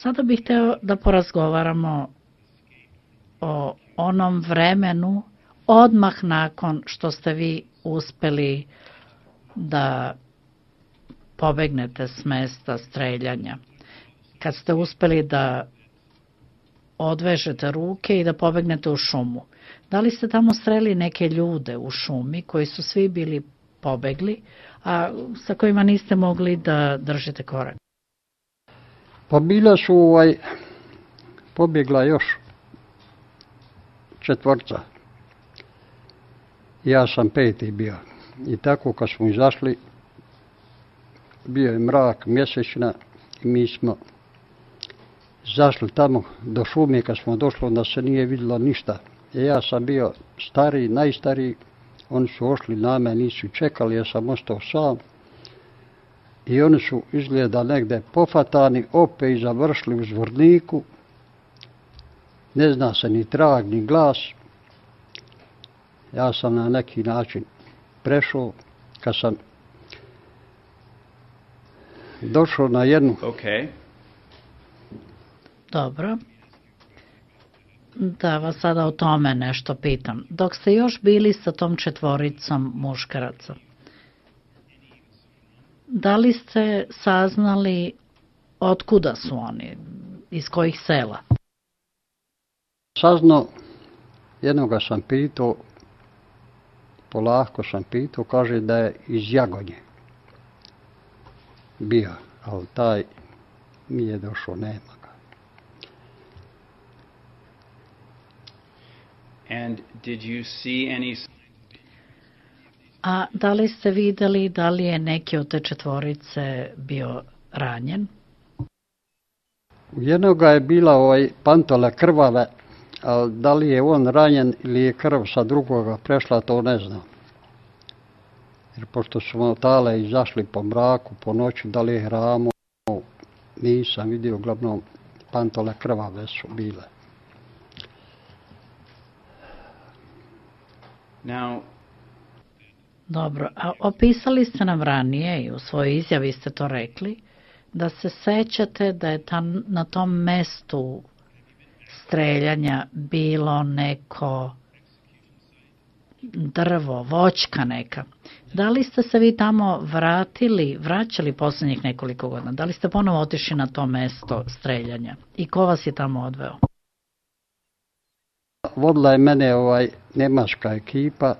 Sada bih hteo da porazgovaramo o onom vremenu odmah nakon što ste vi uspeli da pobegnete s mesta streljanja. Kad ste uspeli da odvežete ruke i da pobegnete u šumu. Da li ste tamo sreli neke ljude u šumi koji su svi bili pobegli, a sa kojima niste mogli da držite korak? Pa bila su pobjegla još 4. Ja sam 5. bio. I tako kad smo izašli, bio je mrak, mjesečna i mi smo zašli tamo do šume. Kad smo došli, onda se nije vidjelo ništa. Ja sam bio stariji, najstariji. Oni su ošli na me, nisu čekali, ja sam ostao sam. I oni su izgleda negde pofatani, opet i završili u Zvorniku. Ne zna se ni trag, ni glas. Ja sam na neki način prešao. Kad sam došao na jednu... Okay. Dobro. Da vas sada o tome nešto pitam. Dok ste još bili sa tom 4 muškaraca, da li ste saznali otkuda su oni, iz kojih sela? Saznao, jednoga sam pitao, polako sam pitao, kaže da je iz Jagonje bio, ali taj nije došao, nema ga. And did you see any... A da li ste videli da li je neki od te 4 bio ranjen? U jednoga je bila pantole krvave, ali da li je on ranjen ili je krv sa drugoga prešla, to ne znam. Jer pošto smo tale izašli po mraku, po noći, da li je ramo, nisam vidio, uglavnom pantole krvave su bile. Now, dobro, a opisali ste nam ranije i u svojoj izjavi ste to rekli, da se sećate da je na tom mestu streljanja bilo neko drvo, voćka neka. Da li ste se vi tamo vraćali posljednjih nekoliko godina? Da li ste ponovo otišli na to mesto streljanja? I ko vas je tamo odveo? Vodila je mene njemačka ekipa,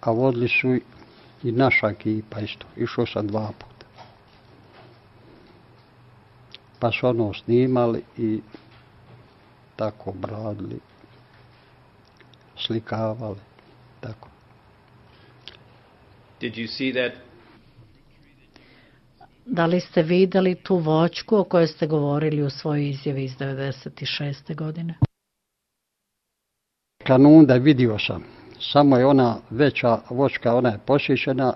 a vodili su i naša ekipa isto. Išao sam 2 puta. Pa su ono snimali i tako bradili, slikavali, tako. Did you see that? Da li ste videli tu voćku o kojoj ste govorili u svojoj izjavi iz 96. godine? Kanunda vidio sam. Samo je ona veća voćka, ona je posjećena,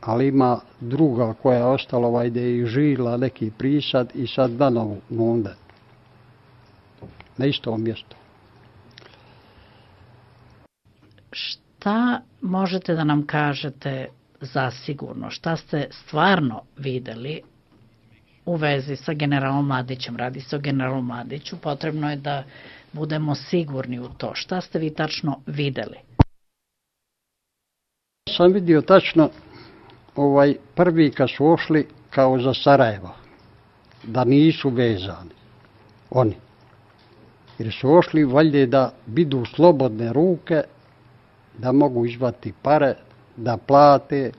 ali ima druga koja je ostala gdje je žila neki prisad i sad danovu nunde. Na istom mjestu. Šta možete da nam kažete zasigurno? Šta ste stvarno videli u vezi sa generalom Mladićem? Radi se o generalu Mladiću. Potrebno je da budemo sigurni u to. Šta ste vi tačno videli? Sam vidio tačno prvi kad su ošli kao za Sarajevo, da nisu vezani oni. Jer su ošli valjda da bidu slobodne ruke, da mogu izvati pare, da plate.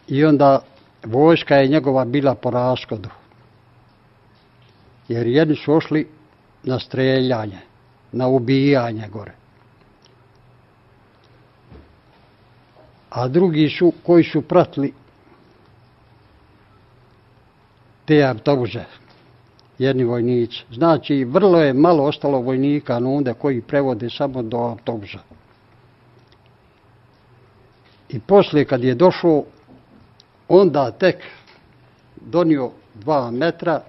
I onda vojska je njegova bila po raskodu. Jer jedni su ošli na streljanje, na ubijanje gore. A drugi su koji su pratili te autobuse, jedni vojnici. Znači, vrlo je malo ostalo vojnika onda koji prevode samo do autobusa. I poslije kad je došao, onda tek donio 2 metra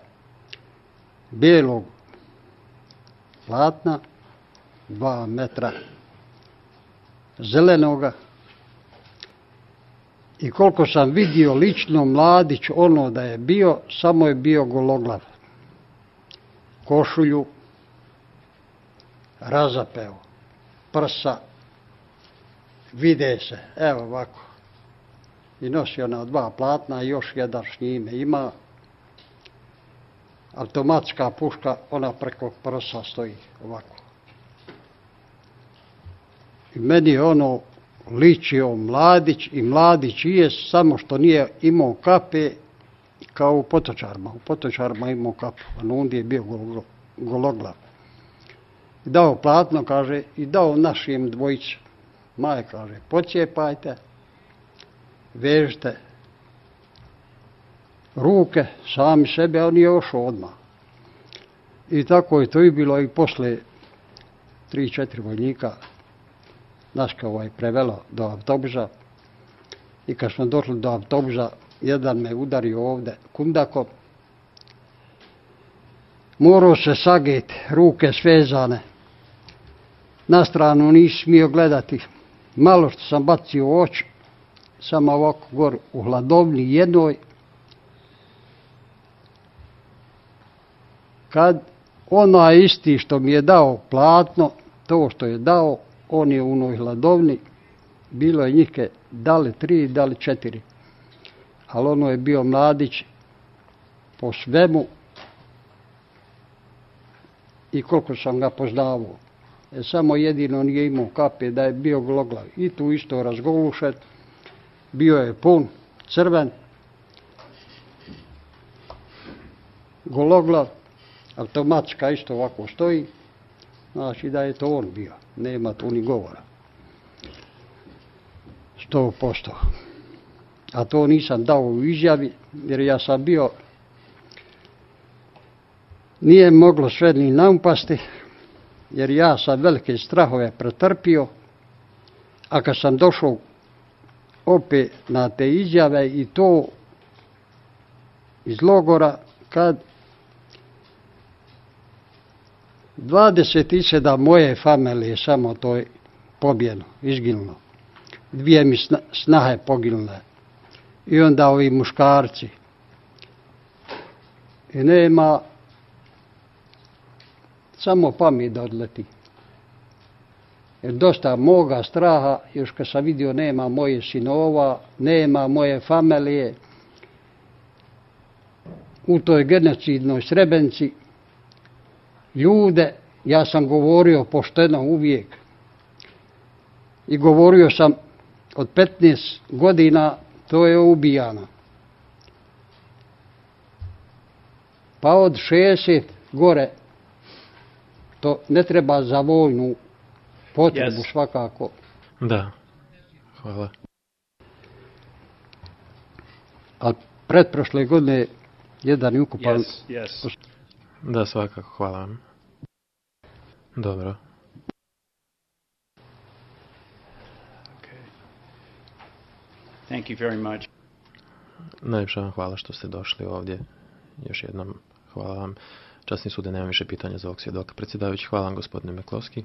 bijelog platna, 2 metra zelenoga I koliko sam vidio lično, Mladić ono da je bio, samo je bio gologlav. Košulju razapeo, prsa, vide se, evo ovako. I nosio na 2 platna, još jedan s njime ima. Automatska puška, ona preko prsa stoji ovako. I meni je ono ličio Mladić i Mladić je, samo što nije imao kape kao u Potočarima. U Potočarima imao kapu, a na Undi je bio gologlav. I dao platno, kaže, i dao našim dvojice. Maje, kaže, pocijepajte, vežite ruke, sami sebe, a on je ošao odmah. I tako je to i bilo i posle 3-4 vojnika nas kao prevelo do autobusa. I kad smo došli do autobusa, jedan me udario ovde kundakom. Morao se sageti, ruke svezane. Na stranu nisi smio gledati. Malo što sam bacio u oči, samo ovako gor u hladovni jednoj. Kad onaj isti što mi je dao platno, to što je dao, on je u onoj hladovni, bilo je njih da li 3, da li 4. Ali ono je bio Mladić po svemu i koliko sam ga poznavao. Samo jedino nije imao kape, da je bio gologlav. I tu isto razgolušen, bio je pun, crven, gologlav, automatska isto ovako stoji, znači da je to on bio, nema tu ni govora. 100%. A to nisam dao u izjavi, jer ja sam bio, nije moglo sve ni naumpasti, jer ja sam velike strahove pretrpio, a kad sam došao opet na te izjave i to iz logora, kad 27 moje familije samo to je pobjeno, izginulo. 2 mi snahe poginule. I onda ovi muškarci. I nema samo pamet da odleti. Jer dosta moga straha, još kad sam vidio nema moje sinova, nema moje familije, u toj genocidnoj Srebrenici, ljude, ja sam govorio pošteno uvijek. I govorio sam od 15 godina, to je ubijano. Pa od 60 gore, to ne treba za vojnu potrebu svakako. Da, hvala. A pretprošle godine jedan je ukupan. Da, svakako, hvala vam. Dobro. Thank you very much. Najljepša vam hvala što ste došli ovdje. Još jednom hvala vam. Časni sude, nemam više pitanja za ovog svjedoka. Predsjedavajući, hvala vam gospodine Meklovski.